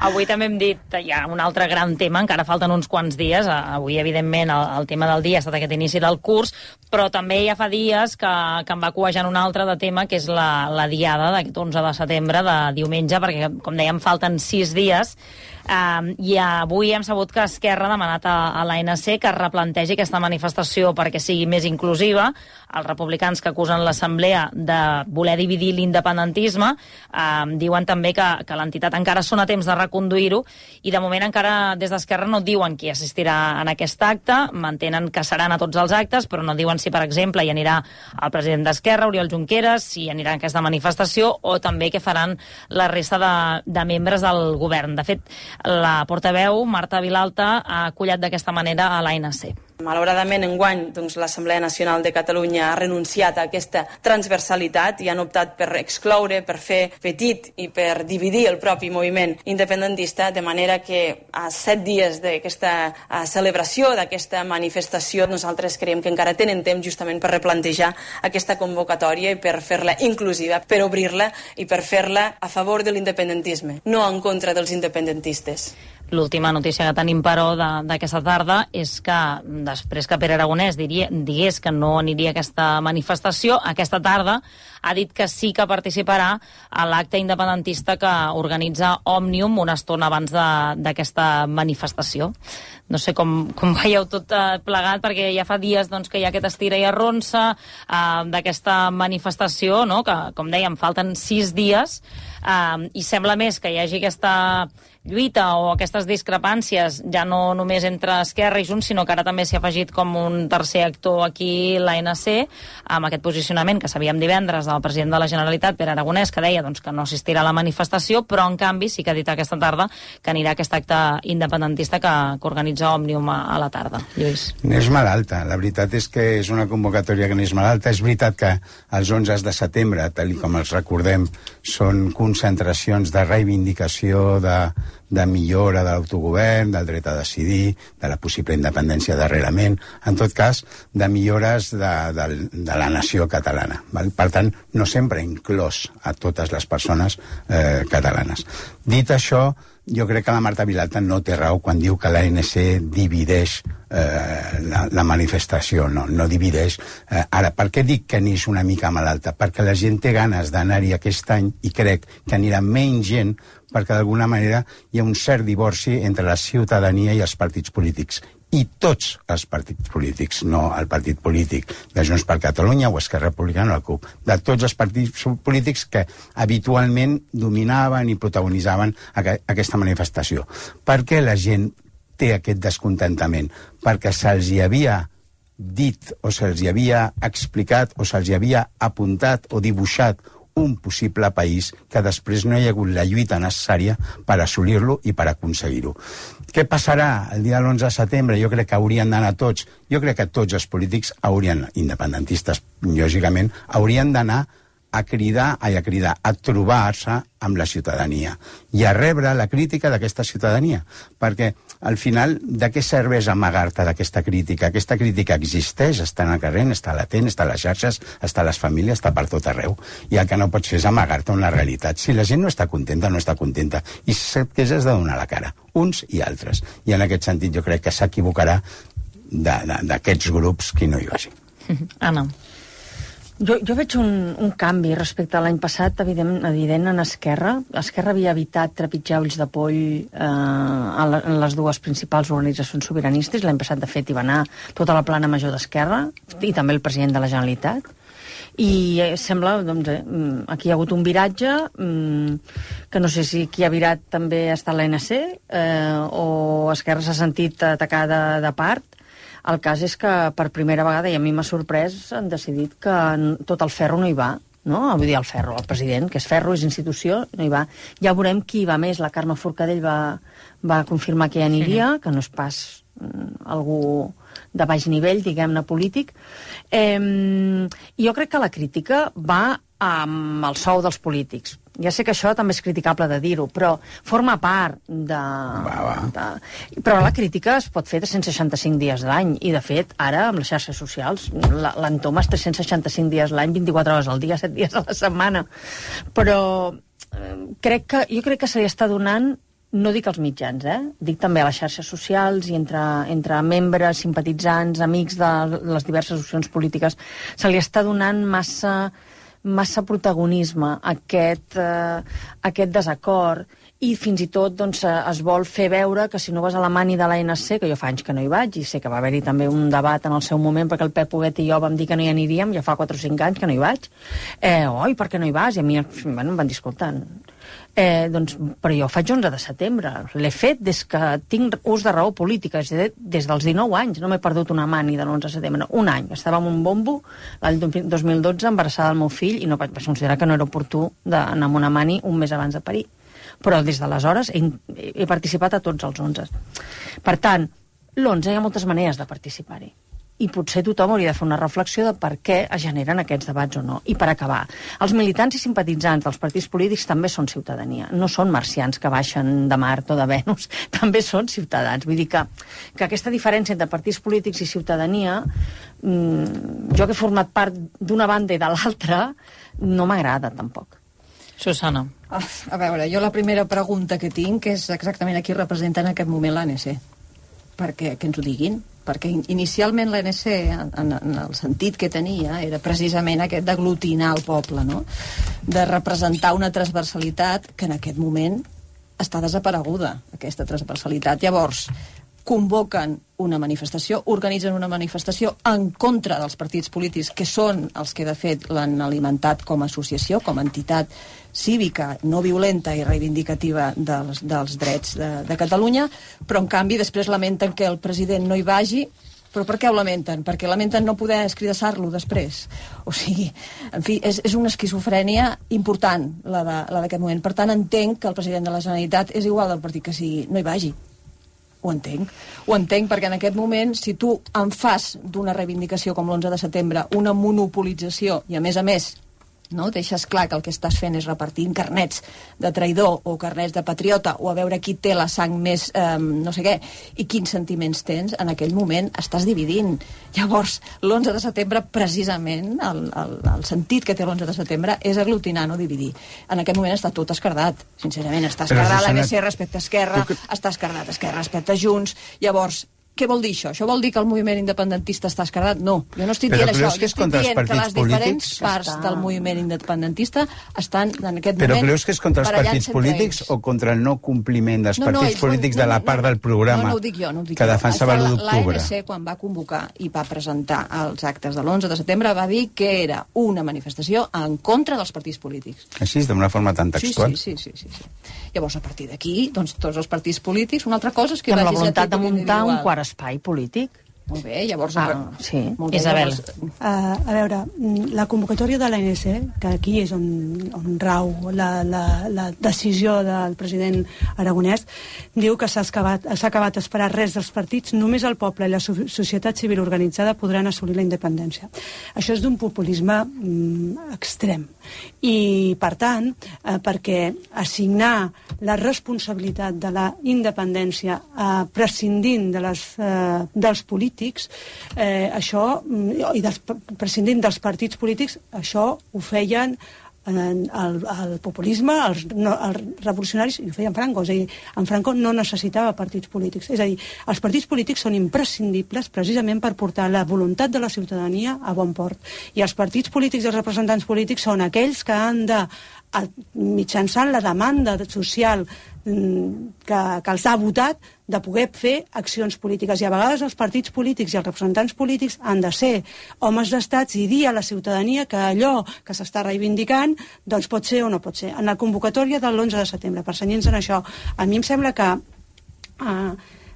avui també hem dit hi ha un altre gran tema, encara falten uns quants dies. Avui, evidentment, el, el tema del dia ha estat aquest inici del curs, però també ja fa dies que, que em va cuejant un altre de tema, que és la, la diada d'aquest onze de setembre, de diumenge, perquè, com dèiem, falten sis dies. Um, i avui hem sabut que Esquerra ha demanat a, a l'A N C que es replantegi aquesta manifestació perquè sigui més inclusiva. Els republicans, que acusen l'Assemblea de voler dividir l'independentisme, um, diuen també que, que l'entitat encara són a temps de reconduir-ho, i de moment encara des d'Esquerra no diuen qui assistirà en aquest acte. Mantenen que seran a tots els actes, però no diuen si, per exemple, hi anirà el president d'Esquerra, Oriol Junqueras, si anirà en aquesta manifestació, o també què faran la resta de, de membres del govern. De fet, la portaveu, Marta Vilalta, ha acollat d'aquesta manera a l'A N C. Malauradament, enguany, doncs, l'Assemblea Nacional de Catalunya ha renunciat a aquesta transversalitat i han optat per excloure, per fer petit i per dividir el propi moviment independentista, de manera que a set dies d'aquesta celebració, d'aquesta manifestació, nosaltres creiem que encara tenen temps justament per replantejar aquesta convocatòria i per fer-la inclusiva, per obrir-la i per fer-la a favor de l'independentisme, no en contra dels independentistes. L'última notícia que tenim, però, d'aquesta tarda és que, després que Pere Aragonès diria, digués que no aniria a aquesta manifestació, aquesta tarda ha dit que sí que participarà a l'acte independentista que organitza Òmnium una estona abans d'aquesta manifestació. No sé com, com veieu tot eh, plegat, perquè ja fa dies doncs, que hi ha aquest estira i arronsa eh, d'aquesta manifestació, no? Que, com dèiem, falten sis dies, eh, i sembla més que hi hagi aquesta lluita o aquestes discrepàncies, ja no només entre Esquerra i Junts, sinó que ara també s'hi ha afegit com un tercer actor aquí l'A N C, amb aquest posicionament que sabíem divendres del president de la Generalitat, Pere Aragonès, que deia doncs, que no assistirà a la manifestació, però en canvi sí que ha dit aquesta tarda que anirà a aquest acte independentista que, que organitza Òmnium a, a la tarda. Lluís. N'és malalta, la veritat és que és una convocatòria que n'és malalta. És veritat que els onze de setembre, tal com els recordem, són concentracions de reivindicació, de, de millora de l'autogovern, del dret a decidir, de la possible independència darrerament, en tot cas, de millores de, de, de la nació catalana. Val? Per tant, no sempre inclòs a totes les persones eh, catalanes. Dit això, jo crec que la Marta Vilalta no té raó quan diu que l'A N C divideix eh, la, la manifestació, no, no divideix. Eh, ara, per què dic que n'és una mica malalta? Perquè la gent té ganes d'anar-hi aquest any i crec que anirà menys gent perquè d'alguna manera hi ha un cert divorci entre la ciutadania i els partits polítics. I tots els partits polítics, no el partit polític de Junts per Catalunya o Esquerra Republicana o la CUP, de tots els partits polítics que habitualment dominaven i protagonitzaven aqu aquesta manifestació. Per què la gent té aquest descontentament? Perquè se'ls hi havia dit o se'ls hi havia explicat o se'ls hi havia apuntat o dibuixat un possible país que després no hi ha hagut la lluita necessària per assolir-lo i per aconseguir-ho. Què passarà el dia de l'onze de setembre? Jo crec que haurien d'anar tots, jo crec que tots els polítics haurien, independentistes, lògicament, haurien d'anar a cridar, a cridar, a trobar-se amb la ciutadania i a rebre la crítica d'aquesta ciutadania. Perquè, al final, de què serveix amagar-te d'aquesta crítica? Aquesta crítica existeix, està en el carrer, està latent, està a les xarxes, està a les famílies, està per tot arreu. I el que no pots fer és amagar-te una realitat. Si la gent no està contenta, no està contenta. I sap que has de donar la cara, uns i altres. I en aquest sentit jo crec que s'equivocarà d'aquests grups qui no hi vagi. Anna. Jo, jo veig un, un canvi respecte a l'any passat, evident, evident en Esquerra. Esquerra havia evitat trepitjar ulls de poll eh, a, la, en les dues principals organitzacions sobiranistes. L'any passat, de fet, hi va anar tota la plana major d'Esquerra i també el president de la Generalitat. I eh, sembla, doncs, eh, aquí hi ha hagut un viratge, eh, que no sé si qui ha virat també ha estat l'A N C, eh, o Esquerra s'ha sentit atacada de part. El cas és que per primera vegada, i a mi m'ha sorprès, han decidit que tot el ferro no hi va, no? Vull dir, el ferro, el president, que és ferro, és institució, no hi va. Ja veurem qui hi va més. La Carme Forcadell va, va confirmar que hi aniria, sí, que no és pas algú de baix nivell, diguem-ne, polític. Eh, jo crec que la crítica va amb el sou dels polítics. Ja sé que això també és criticable de dir-ho, però forma part de, va, va. de... Però la crítica es pot fer de cent seixanta-cinc dies l'any, i de fet, ara, amb les xarxes socials, l'entoma és tres-cents seixanta-cinc dies l'any, vint-i-quatre hores al dia, set dies a la setmana. Però eh, crec que, jo crec que se li està donant, no dic als mitjans, eh? Dic també a les xarxes socials i entre, entre membres, simpatitzants, amics de les diverses opcions polítiques, se li està donant massa... massa protagonisme a aquest, eh, aquest desacord, i fins i tot doncs, es vol fer veure que si no vas a la mani de l'A N C, que jo fa anys que no hi vaig, i sé que va haver-hi també un debat en el seu moment, perquè el Pep Huguet i jo vam dir que no hi aniríem, ja fa quatre o cinc anys que no hi vaig, eh, oi, per què no hi vas? I a mi bueno, em van dir, escolta, eh, doncs, però jo ho faig onze de setembre, l'he fet des que tinc ús de raó política, és dir, des dels dinou anys, no m'he perdut una mani de l'onze de setembre, un any, estava amb un bombo l'any dos mil dotze embarassada del meu fill i no vaig considerar que no era oportú d'anar amb una mani un mes abans de parir, però des d'aleshores he, he participat a tots els onze. Per tant, l'onze hi ha moltes maneres de participar-hi, i potser tothom hauria de fer una reflexió de per què es generen aquests debats o no. I per acabar, els militants i simpatitzants dels partits polítics també són ciutadania, no són marcians que baixen de Mart o de Venus, també són ciutadans. Vull dir que, que aquesta diferència entre partits polítics i ciutadania, mmm, jo que he format part d'una banda i de l'altra, no m'agrada tampoc. Susana. Ah, a veure, jo la primera pregunta que tinc és exactament a qui representa en aquest moment l'A N C. Perquè que ens ho diguin. Perquè inicialment l'A N C, en, en el sentit que tenia, era precisament aquest d'aglutinar el poble, no? De representar una transversalitat que en aquest moment està desapareguda, aquesta transversalitat. Llavors, convoquen una manifestació, organitzen una manifestació en contra dels partits polítics, que són els que de fet l'han alimentat com a associació, com a entitat cívica, no violenta i reivindicativa dels, dels drets de, de Catalunya, però en canvi després lamenten que el president no hi vagi. Però per què ho lamenten? Perquè lamenten no poder escridassar-lo després. O sigui, en fi, és, és una esquizofrènia important, la d'aquest moment. Per tant, entenc que el president de la Generalitat és igual del partit que sigui, no hi vagi. Ho entenc. Ho entenc perquè en aquest moment, si tu en fas d'una reivindicació com l'onze de setembre una monopolització, i a més a més no deixes clar que el que estàs fent és repartir carnets de traïdor o carnets de patriota o a veure qui té la sang més eh, no sé què, i quins sentiments tens, en aquell moment estàs dividint. Llavors, l'onze de setembre, precisament, el, el, el sentit que té l'onze de setembre és aglutinar, no dividir. En aquest moment està tot esquerdat, sincerament. Està esquerdat l'A N C respecte a Esquerra, tu... està esquerdat Esquerra respecte a Junts. Llavors, què vol dir això? Això vol dir que el moviment independentista està esquerdat? No, jo no estic però dient això. Jo estic dient que les diferents parts està... del moviment independentista estan en aquest però moment... Però creus que és contra els partits polítics o contra el no compliment dels no, partits no, polítics no, no, de la part del programa no, no ho dic jo, no ho dic que defensava l'u d'octubre? L'A N C, quan va convocar i va presentar els actes de l'onze de setembre, va dir que era una manifestació en contra dels partits polítics. Així, d'una forma tan textual? Sí, sí, sí. sí, sí. Llavors, a partir d'aquí, doncs, tots els partits polítics, una altra cosa és que... I amb la voluntat de muntar un quart espai polític. Molt bé, llavors... Ah, sí. Bé, Isabel. llavors... Uh, a veure, la convocatòria de l'A N C, que aquí és on, on rau la, la, la decisió del president aragonès, diu que s'ha acabat, s'ha acabat esperar res dels partits, només el poble i la societat civil organitzada podran assolir la independència. Això és d'un populisme mm, extrem. I, per tant, eh, perquè assignar la responsabilitat de la independència eh, prescindint de les, eh, dels polítics, eh, això, i des, prescindint dels partits polítics, això ho feien el, el populisme, els, no, els revolucionaris, i ho feien Franco. És a dir, en Franco no necessitava partits polítics. És a dir, els partits polítics són imprescindibles precisament per portar la voluntat de la ciutadania a bon port. I els partits polítics i els representants polítics són aquells que han de, mitjançant la demanda social que, que els ha votat, de poder fer accions polítiques. I a vegades els partits polítics i els representants polítics han de ser homes d'estats i dir a la ciutadania que allò que s'està reivindicant doncs pot ser o no pot ser. En la convocatòria de l'onze de setembre, per cenyir-nos en això, a mi em sembla que eh,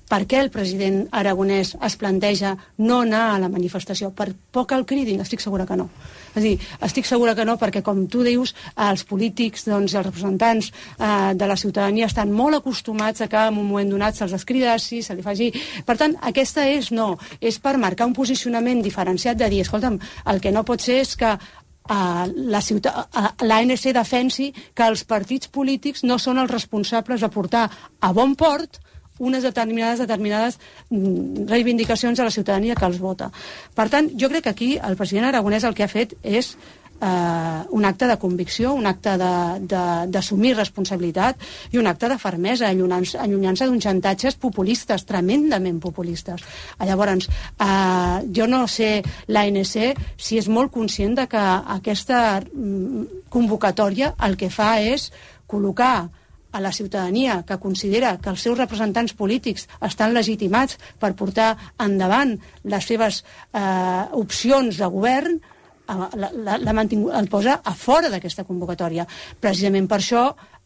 per què el president aragonès es planteja no anar a la manifestació? Per por que el cridin? Estic segura que no. És a dir, estic segura que no, perquè, com tu dius, els polítics, doncs, els representants eh, de la ciutadania estan molt acostumats a que en un moment donat se'ls escridassi, se li faci... Per tant, aquesta és no, és per marcar un posicionament diferenciat de dir, escolta'm, el que no pot ser és que Uh, la ciutat, uh, l'A N C defensi que els partits polítics no són els responsables de portar a bon port unes determinades determinades reivindicacions a la ciutadania que els vota. Per tant, jo crec que aquí el president aragonès el que ha fet és eh, un acte de convicció, un acte d'assumir responsabilitat i un acte de fermesa, allunyant-se allunyant d'uns xantatges populistes, tremendament populistes. Llavors, eh, jo no sé l'A N C si és molt conscient de que aquesta convocatòria el que fa és col·locar a la ciutadania que considera que els seus representants polítics estan legitimats per portar endavant les seves eh, opcions de govern, la, la, la mantingut, el posa a fora d'aquesta convocatòria. Precisament per això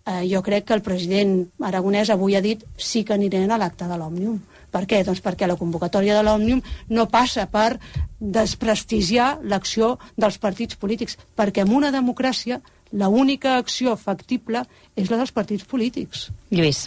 eh, jo crec que el president aragonès avui ha dit sí que anirem a l'acte de l'Òmnium. Per què? Doncs perquè la convocatòria de l'Òmnium no passa per desprestigiar l'acció dels partits polítics, perquè en una democràcia l'única acció factible és la dels partits polítics. Lluís.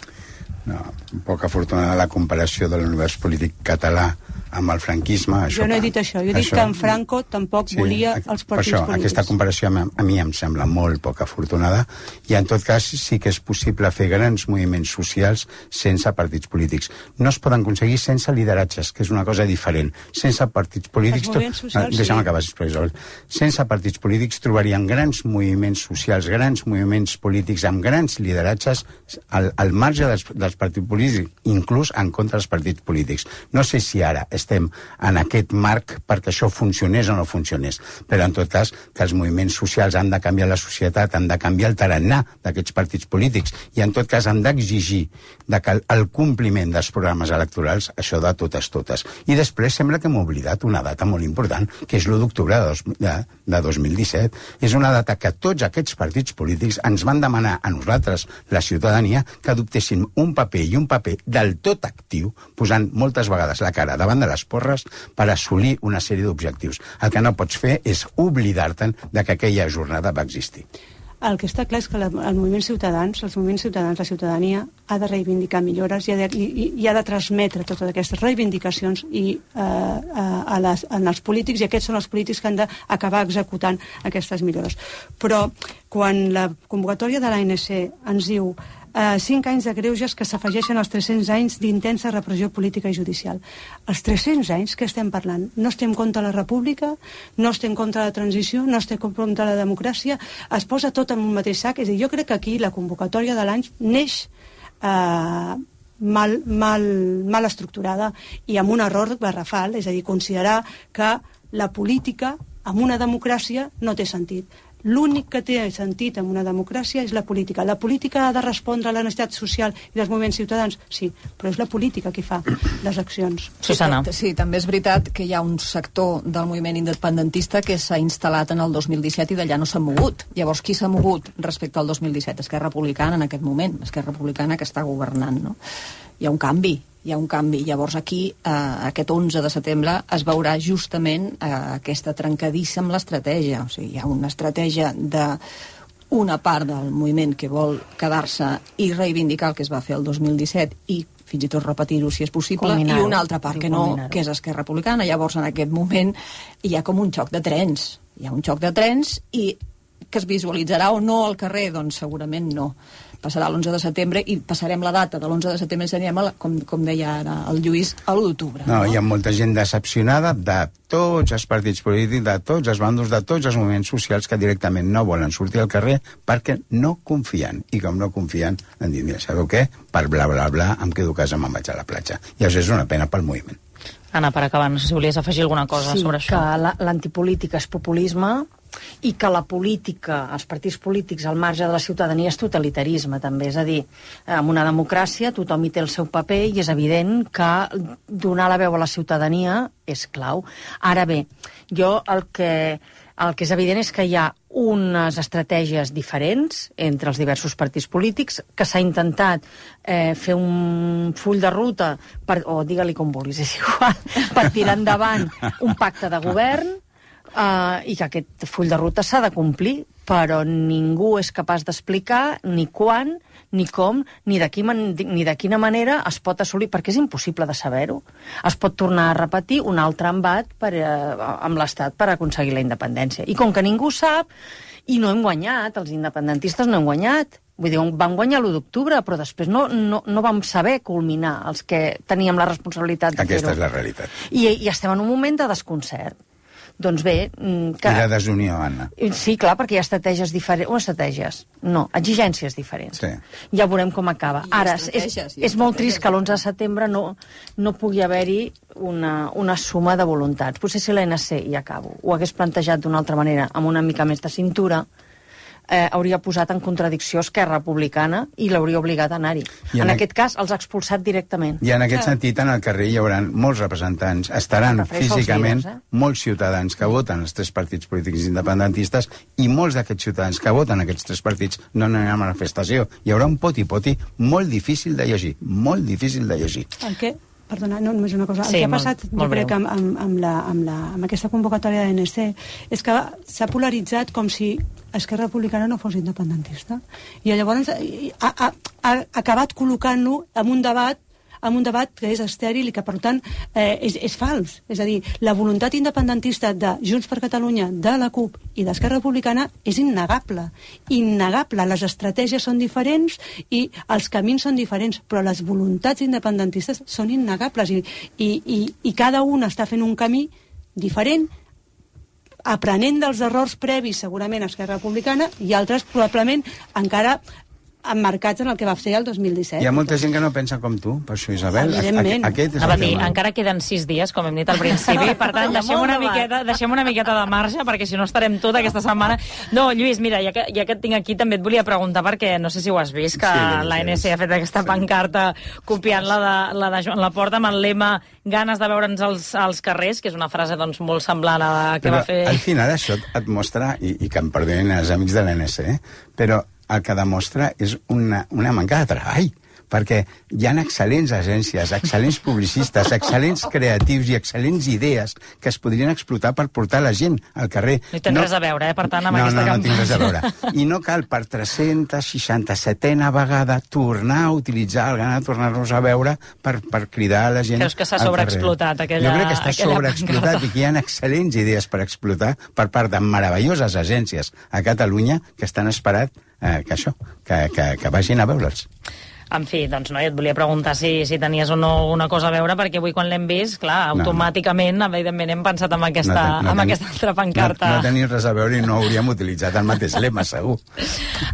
No, poc afortunada la comparació de l'univers polític català amb el franquisme. Això, jo no he dit això, jo he dit això, que en Franco tampoc sí, volia els partits això, polítics. Aquesta comparació a, a mi em sembla molt poc afortunada i en tot cas sí que és possible fer grans moviments socials sense partits polítics. No es poden aconseguir sense lideratges, que és una cosa diferent. Sense partits polítics... Els moviments socials, no, deixa'm sí. acabar, sisplau, Isabel. Sense partits polítics trobarien grans moviments socials, grans moviments polítics amb grans lideratges al, al marge dels, dels partits polítics, inclús en contra dels partits polítics. No sé si ara estem en aquest marc perquè això funcionés o no funcionés. Però, en tot cas, que els moviments socials han de canviar la societat, han de canviar el tarannà d'aquests partits polítics i, en tot cas, han d'exigir de que el compliment dels programes electorals, això de totes, totes. I després sembla que hem oblidat una data molt important, que és l'u d'octubre de, dos, de, de dos mil disset. És una data que tots aquests partits polítics ens van demanar a nosaltres, la ciutadania, que adoptéssim un paper i un paper del tot actiu, posant moltes vegades la cara davant de les porres per assolir una sèrie d'objectius. El que no pots fer és oblidar-te'n de que aquella jornada va existir. El que està clar és que la, el moviment ciutadans, els moviments ciutadans, la ciutadania, ha de reivindicar millores i ha de, i, i ha de transmetre totes aquestes reivindicacions i, eh, a, a les, en els polítics, i aquests són els polítics que han d'acabar executant aquestes millores. Però quan la convocatòria de l'A N C ens diu Uh, cinc anys de greuges que s'afegeixen als tres-cents anys d'intensa repressió política i judicial. Els tres-cents anys que estem parlant, no estem contra la república, no estem contra la transició, no estem contra la democràcia, es posa tot en un mateix sac. És a dir, jo crec que aquí la convocatòria de l'any neix uh, mal, mal, mal estructurada i amb un error garrafal, és a dir, considerar que la política en una democràcia no té sentit. L'únic que té sentit en una democràcia és la política. La política ha de respondre a la necessitat social i dels moviments ciutadans? Sí, però és la política qui fa les accions. Susana. Sí, també és veritat que hi ha un sector del moviment independentista que s'ha instal·lat en el dos mil disset i d'allà no s'ha mogut. Llavors, qui s'ha mogut respecte al dos mil disset? Esquerra Republicana en aquest moment, Esquerra Republicana que està governant, no? Hi ha un canvi. hi ha un canvi. Llavors aquí, eh, aquest onze de setembre, es veurà justament eh, aquesta trencadissa amb l'estratègia. O sigui, hi ha una estratègia de una part del moviment que vol quedar-se i reivindicar el que es va fer el dos mil disset i fins i tot repetir-ho si és possible, i una altra part que no, que és Esquerra Republicana. Llavors, en aquest moment, hi ha com un xoc de trens. Hi ha un xoc de trens i que es visualitzarà o no al carrer, doncs segurament no. Passarà l'onze de setembre i passarem la data de l'onze de setembre i anirem, a la, com, com deia ara el Lluís, a l'u d'octubre. No, no, hi ha molta gent decepcionada de tots els partits polítics, de tots els bandos, de tots els moviments socials que directament no volen sortir al carrer perquè no confien. I com no confien, han dit, mira, sabeu què? Per bla, bla, bla, em quedo a casa, me'n vaig a la platja. I això és una pena pel moviment. Anna, per acabar, no sé si volies afegir alguna cosa sí, sobre això. Sí, que l'antipolítica és populisme i que la política, els partits polítics al marge de la ciutadania és totalitarisme també, és a dir, en una democràcia tothom hi té el seu paper i és evident que donar la veu a la ciutadania és clau. Ara bé, jo el que, el que és evident és que hi ha unes estratègies diferents entre els diversos partits polítics, que s'ha intentat eh, fer un full de ruta, per, o digue-li com vulguis, és igual, per tirar endavant un pacte de govern, Uh, i que aquest full de ruta s'ha de complir, però ningú és capaç d'explicar ni quan, ni com, ni de, quina, ni de quina manera es pot assolir, perquè és impossible de saber-ho. Es pot tornar a repetir un altre embat per, uh, amb l'Estat per aconseguir la independència. I com que ningú sap, i no hem guanyat, els independentistes no hem guanyat, vull dir, vam guanyar l'u d'octubre, però després no, no, no vam saber culminar els que teníem la responsabilitat de fer-ho. Aquesta és la realitat. I, I estem en un moment de desconcert. Doncs bé... Que... I de desunió, Anna. Sí, clar, perquè hi ha estratègies diferents... O estratègies, no, exigències diferents. Sí. Ja veurem com acaba. Ara, és, és molt trist que l'onze de setembre no, no pugui haver-hi una, una suma de voluntats. Potser si l'A N C, i acabo, ho hagués plantejat d'una altra manera, amb una mica més de cintura, eh, hauria posat en contradicció Esquerra Republicana i l'hauria obligat a anar-hi. En, en aquest cas, els ha expulsat directament. I en aquest sí. sentit, en el carrer hi haurà molts representants, estaran físicament líders, eh? molts ciutadans que voten els tres partits polítics independentistes i molts d'aquests ciutadans que voten aquests tres partits no aniran a la manifestació. Hi haurà un poti-poti molt difícil de llegir, molt difícil de llegir. El què? Perdona, no, només una cosa. El sí, que ha passat, molt, molt jo crec, amb, amb, amb, la, amb, la, amb aquesta convocatòria de l'A N C és que s'ha polaritzat com si Esquerra Republicana no fos independentista. I llavors ha, ha, ha acabat col·locant-lo en un debat en un debat que és estèril i que, per tant, eh, és, és fals. És a dir, la voluntat independentista de Junts per Catalunya, de la CUP i d'Esquerra Republicana és innegable. Innegable. Les estratègies són diferents i els camins són diferents, però les voluntats independentistes són innegables i, i, i, i cada un està fent un camí diferent, aprenent dels errors previs, segurament, a Esquerra Republicana, i altres, probablement, encara emmarcats en el que va fer el dos mil disset. Hi ha molta gent que no pensa com tu, per això, Isabel. Evidentment. Aquest és Anava a el dir, tema. encara queden sis dies, com hem dit al principi, per tant, deixem una, miqueta, deixem una miqueta de marge, perquè si no estarem tot aquesta setmana. No, Lluís, mira, ja que, ja que et tinc aquí, també et volia preguntar, perquè no sé si ho has vist, que sí, l'A N C ha fet aquesta sí. pancarta copiant la de, la de Joan Laporta amb el lema ganes de veure'ns als, als carrers, que és una frase doncs, molt semblant a la que però va fer... al final això et mostra, i, i que em perdonin els amics de l'A N C, eh? però el que demostra és una, una manca de treball, perquè hi ha excel·lents agències, excel·lents publicistes, excel·lents creatius i excel·lents idees que es podrien explotar per portar la gent al carrer. No hi tens no... res a veure, eh, per tant, amb no, aquesta no, campanya. No, no tinc res a veure. I no cal per tres-cents seixanta-setena vegada tornar a utilitzar el gana de tornar-nos a veure per, per cridar a la gent al carrer. Creus que s'ha sobreexplotat aquella Jo crec que està sobreexplotat i que hi ha excel·lents idees per explotar per part de meravelloses agències a Catalunya que estan esperant eh, que això, que, que, que vagin a veure'ls. En fi, doncs no, jo et volia preguntar si, si tenies o no una cosa a veure, perquè avui quan l'hem vist, clar, automàticament, no, no. evidentment, hem pensat en aquesta, no, no, no amb teni, aquesta altra pancarta. No, no teniu res a veure i no hauríem utilitzat el mateix lema, segur.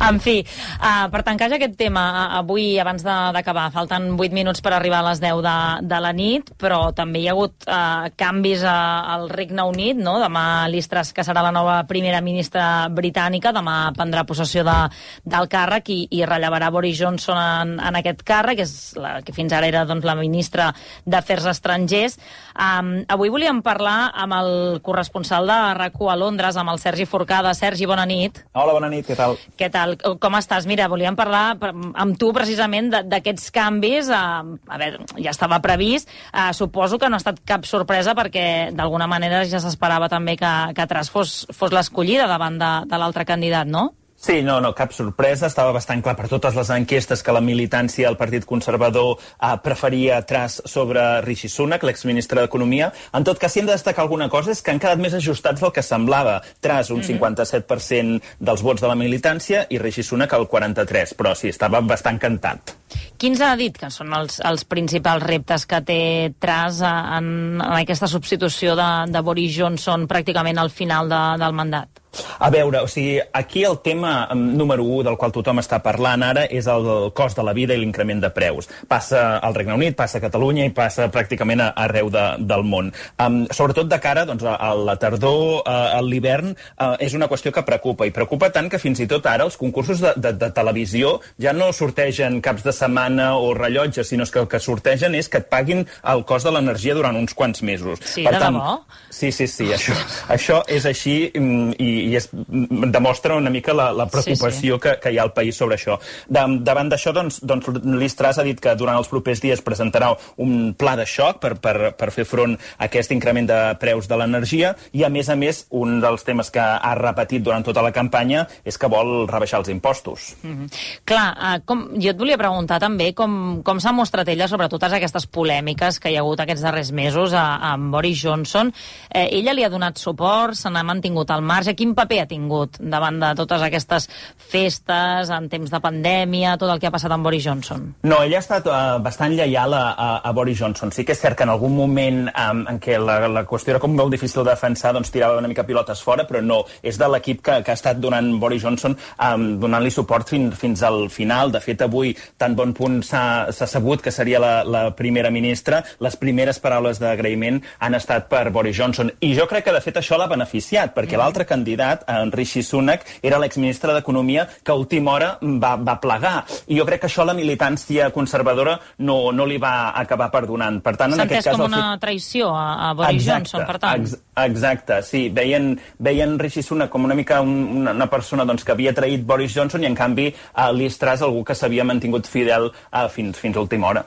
En fi, uh, per tancar ja aquest tema, uh, avui, abans d'acabar, falten vuit minuts per arribar a les deu de, de la nit, però també hi ha hagut uh, canvis a, al Regne Unit, no? Demà Liz Truss, que serà la nova primera ministra britànica, demà prendrà possessió de, del càrrec i, i rellevarà Boris Johnson en en aquest càrrec, que és la que fins ara era doncs, la ministra d'Afers Estrangers. Um, avui volíem parlar amb el corresponsal de RAC u a Londres, amb el Sergi Forcada. Sergi, bona nit. Hola, bona nit, què tal? Què tal? Com estàs? Mira, volíem parlar amb tu precisament d'aquests canvis. Uh, a veure, ja estava previst. Uh, suposo que no ha estat cap sorpresa perquè d'alguna manera ja s'esperava també que, que Truss fos, fos l'escollida davant de, de l'altre candidat, no? Sí, no, no, cap sorpresa. Estava bastant clar per totes les enquestes que la militància del Partit Conservador eh, preferia Truss sobre Rishi Sunak, l'exministre d'Economia. En tot cas, si hem de destacar alguna cosa és que han quedat més ajustats del que semblava. Truss, un cinquanta-set per cent dels vots de la militància i Rishi Sunak el quaranta-tres per cent, però sí, estava bastant cantat. Quins ha dit que són els, els principals reptes que té Truss en, en aquesta substitució de, de Boris Johnson pràcticament al final de, del mandat? A veure, o sigui, aquí el tema número u del qual tothom està parlant ara és el, el cost de la vida i l'increment de preus. Passa al Regne Unit, passa a Catalunya i passa pràcticament a, arreu de, del món. Um, sobretot de cara doncs, a, a la tardor, a, a l'hivern, uh, és una qüestió que preocupa. I preocupa tant que fins i tot ara els concursos de, de, de televisió ja no sortegen caps de setmana o rellotges, sinó que el que sortegen és que et paguin el cost de l'energia durant uns quants mesos. Sí, per de tant, debò? Sí, sí, sí, això, això és així i, i es demostra una mica la, la preocupació sí, sí. Que, que hi ha al país sobre això. De, davant d'això, doncs, doncs Liz Truss ha dit que durant els propers dies presentarà un pla de xoc per, per, per fer front a aquest increment de preus de l'energia i, a més a més, un dels temes que ha repetit durant tota la campanya és que vol rebaixar els impostos. Mm-hmm. Clar, uh, com, jo et volia preguntar també com, com s'ha mostrat ella sobre totes aquestes polèmiques que hi ha hagut aquests darrers mesos a, a Boris Johnson. Eh, ella li ha donat suport, se n'ha mantingut al marge. Quin paper ha tingut davant de totes aquestes festes, en temps de pandèmia, tot el que ha passat amb Boris Johnson? No, ella ha estat uh, bastant lleial a, a, a Boris Johnson. Sí que és cert que en algun moment um, en què la, la qüestió era com molt difícil de defensar, doncs tirava una mica pilotes fora, però no, és de l'equip que, que ha estat donant Boris Johnson, um, donant-li suport fin, fins al final. De fet, avui, tan bon punt s'ha sabut que seria la, la primera ministra, les primeres paraules d'agraïment han estat per Boris Johnson. I jo crec que, de fet, això l'ha beneficiat, perquè mm. l'altre candidat, en Rishi Sunak, era l'exministre d'Economia que a última hora va, va plegar. I jo crec que això la militància conservadora no, no li va acabar perdonant. Per tant, en aquest cas... com una traïció a, a Boris exacte, Johnson, per tant. Ex, exacte, sí. Veien, veien Rishi Sunak com una mica un, una, una persona doncs, que havia traït Boris Johnson i, en canvi, a Liz Truss, algú que s'havia mantingut fidel a, fins, fins a última hora.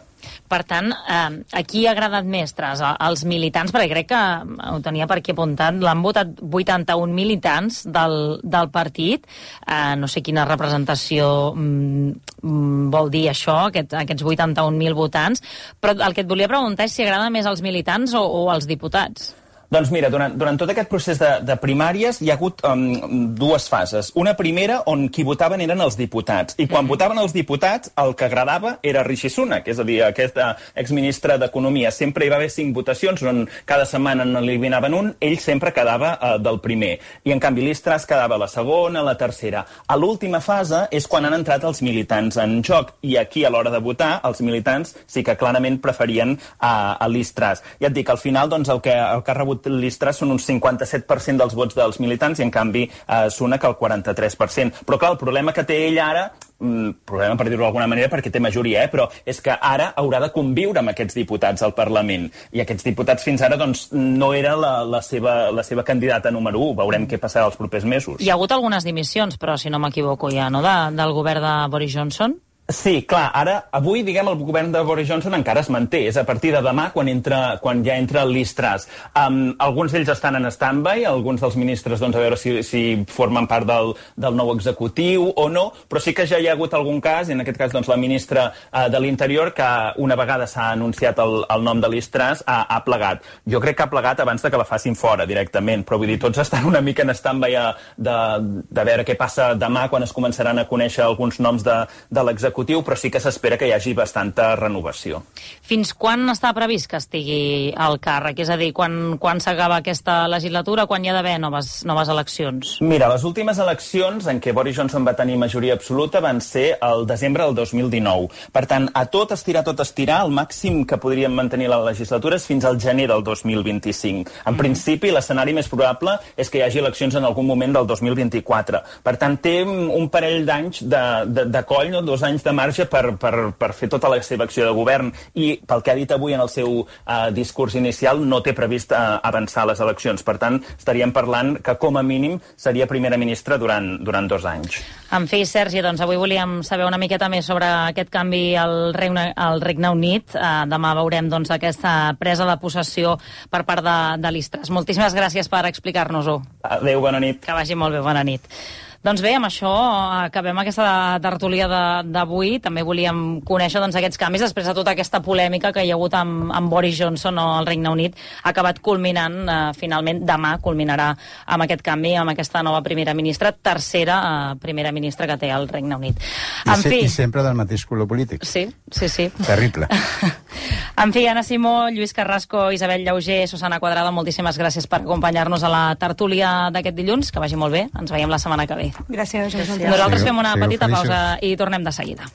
Per tant, eh, a qui ha agradat més, Truss? Als militants, perquè crec que ho tenia per aquí apuntat, l'han votat vuitanta-un militants del, del partit. Eh, no sé quina representació mm, vol dir això, aquest, aquests vuitanta-un mil votants, però el que et volia preguntar és si agrada més als militants o, o als diputats. Doncs mira, durant, durant tot aquest procés de, de primàries hi ha hagut um, dues fases. Una primera on qui votaven eren els diputats, i quan mm. votaven els diputats el que agradava era Rishi Sunak, és a dir, aquest uh, exministre d'Economia. Sempre hi va haver cinc votacions on cada setmana n'eliminaven un, ell sempre quedava uh, del primer. I en canvi Liz Truss quedava a la segona, a la tercera. A l'última fase és quan han entrat els militants en joc, i aquí a l'hora de votar els militants sí que clarament preferien a, a Liz Truss. Ja et dic, al final doncs, el, que, el que ha rebut Liz Truss són un cinquanta-set per cent dels vots dels militants i en canvi eh, Sunak el quaranta-tres per cent. Però clar, el problema que té ell ara, problema per dir-ho d'alguna manera perquè té majoria, eh? però és que ara haurà de conviure amb aquests diputats al Parlament, i aquests diputats fins ara doncs, no era la, la, seva, la seva candidata número u. Veurem què passarà els propers mesos. Hi ha hagut algunes dimissions, però si no m'equivoco ja, no?, de, del govern de Boris Johnson. Sí, clar, ara, avui, diguem, el govern de Boris Johnson encara es manté. És a partir de demà quan, entra, quan ja entra Liz Truss. Um, alguns d'ells estan en stand-by, alguns dels ministres, doncs, a veure si, si formen part del, del nou executiu o no, però sí que ja hi ha hagut algun cas, i en aquest cas, doncs, la ministra uh, de l'Interior, que una vegada s'ha anunciat el, el nom de Liz Truss, ha, ha plegat. Jo crec que ha plegat abans de que la facin fora, directament, però vull dir, tots estan una mica en stand-by de, de veure què passa demà quan es començaran a conèixer alguns noms de, de l'executiu, però sí que s'espera que hi hagi bastanta renovació. Fins quan està previst que estigui al càrrec? És a dir, quan, quan s'acaba aquesta legislatura, quan hi ha d'haver noves, noves eleccions? Mira, les últimes eleccions en què Boris Johnson va tenir majoria absoluta van ser el desembre del dos mil dinou. Per tant, a tot estirar, tot estirar, el màxim que podríem mantenir la legislatura és fins al gener del dos mil vint-i-cinc. En mm. principi, l'escenari més probable és que hi hagi eleccions en algun moment del dos mil vint-i-quatre. Per tant, té un parell d'anys de, de, de coll, no? dos anys de marge per, per, per fer tota la seva acció de govern, i pel que ha dit avui en el seu uh, discurs inicial no té previst uh, avançar les eleccions. Per tant, estaríem parlant que com a mínim seria primera ministra durant, durant dos anys. En fi, Sergi, doncs avui volíem saber una miqueta més sobre aquest canvi al Regne, al Regne Unit. Uh, demà veurem doncs, aquesta presa de possessió per part de, de Liz Truss. Moltíssimes gràcies per explicar-nos-ho. Adéu, bona nit. Que vagi molt bé, bona nit. Doncs bé, amb això acabem aquesta tertúlia d'avui. També volíem conèixer doncs, aquests canvis després de tota aquesta polèmica que hi ha hagut amb, amb Boris Johnson al Regne Unit. Ha acabat culminant, eh, finalment, demà culminarà amb aquest canvi, amb aquesta nova primera ministra, tercera eh, primera ministra que té el Regne Unit. I, en se, fi... I sempre del mateix color polític. Sí, sí, sí. Terrible. En fi, Anna Simó, Lluís Carrasco, Isabel Llauger, Susana Quadrado, moltíssimes gràcies per acompanyar-nos a la tertúlia d'aquest dilluns. Que vagi molt bé. Ens veiem la setmana que ve. Gràcies. Gràcies. Nosaltres fem una petita pausa i tornem de seguida.